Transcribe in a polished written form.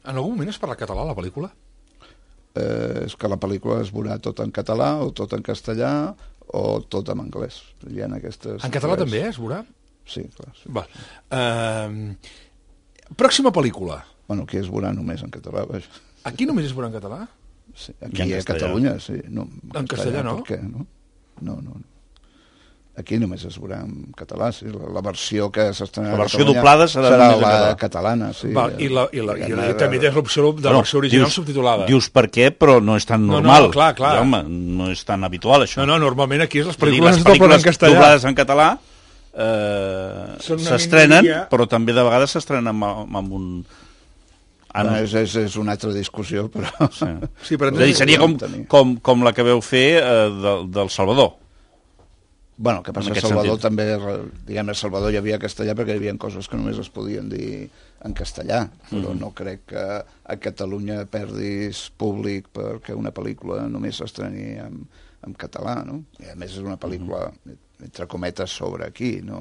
En algun moment es parla català a la pel·lícula? És que la pel·lícula es veurà tot en català o tot en castellà o tot en anglès. Hi ha aquestes En català també, es veurà? Sí, clar. Sí. Val. Pròxima pel·lícula. Bueno, aquí es veurà només en català, vaja. Aquí només es veurà en català? Sí, aquí a Catalunya, sí. No, en castellà no? Per què, no? No. Aquí només es veurà en català, sí. La versió que s'estrenarà la versió doblada serà la catalana, sí. Val, i també tens l'opció de la versió original subtitulada. Dius per què, però no és tan normal. No, clar. I, home, no és tan habitual, això. No, normalment aquí les pel·lícules doblades en català s'estrenen, però també de vegades s'estrenen amb un... És una altra discussió, però... Sí, però és a dir, seria com la que veu fer del Salvador. Bueno, que passa a Salvador també, diguem, a Salvador hi havia castellà perquè hi havia coses que només es podien dir en castellà, però no crec que a Catalunya perdis públic perquè una pel·lícula només s'estreni en català, no? I a més és una pel·lícula, entre cometes, sobre aquí, no...